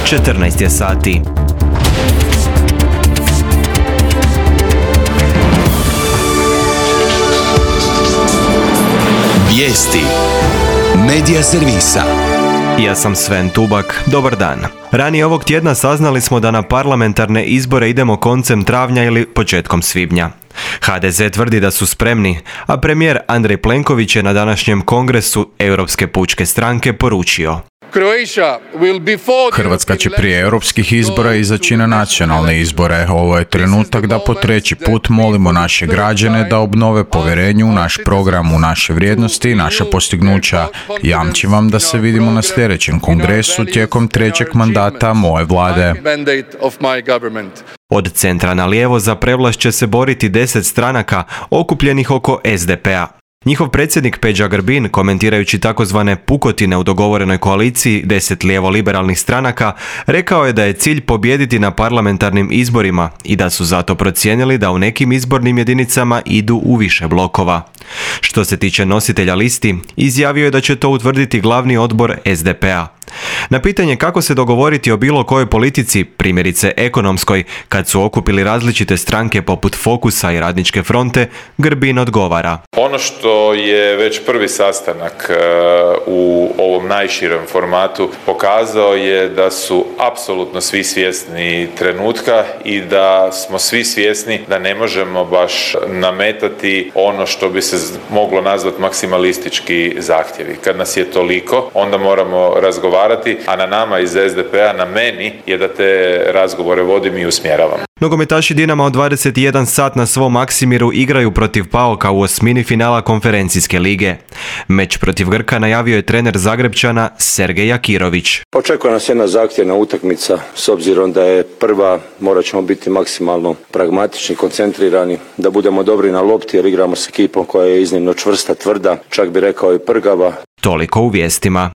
14 je sati. Vijesti Medija servisa. Ja sam Sven Tubak, dobar dan. Ranije ovog tjedna saznali smo da na parlamentarne izbore idemo koncem travnja ili početkom svibnja. HDZ tvrdi da su spremni, a premijer Andrej Plenković je na današnjem kongresu Europske pučke stranke poručio: Hrvatska će prije europskih izbora izaći na nacionalne izbore. Ovo je trenutak da po treći put molimo naše građane da obnove povjerenje u naš program, u naše vrijednosti i naša postignuća. Jamčim vam da se vidimo na sljedećem kongresu tijekom trećeg mandata moje vlade. Od centra na lijevo za prevlast će se boriti 10 stranaka okupljenih oko SDP-a. Njihov predsjednik Peđa Grbin, komentirajući takozvane pukotine u dogovorenoj koaliciji 10 lijevo-liberalnih stranaka, rekao je da je cilj pobijediti na parlamentarnim izborima i da su zato procijenili da u nekim izbornim jedinicama idu u više blokova. Što se tiče nositelja listi, izjavio je da će to utvrditi glavni odbor SDP-a. Na pitanje kako se dogovoriti o bilo kojoj politici, primjerice ekonomskoj, kad su okupili različite stranke poput Fokusa i Radničke fronte, Grbin odgovara: Ono što je već prvi sastanak u ovom najširem formatu pokazao je da su apsolutno svi svjesni trenutka i da smo svi svjesni da ne možemo baš nametati ono što bi se moglo nazvati maksimalistički zahtjevi. Kad nas je toliko, onda moramo razgovarati, a na nama iz SDP-a, na meni je da te razgovore vodim i usmjeravam. Nogometaši Dinama od 21 sat na svom Maksimiru igraju protiv PAOK-a u osmini finala konferencijske lige. Meč protiv Grka najavio je trener Zagrebčana Sergej Jakirović. Očekuje nas jedna zahtjevna utakmica, s obzirom da je prva, morat ćemo biti maksimalno pragmatični, koncentrirani, da budemo dobri na lopti jer igramo s ekipom koja je iznimno čvrsta, tvrda, čak bi rekao i prgava. Toliko u vijestima.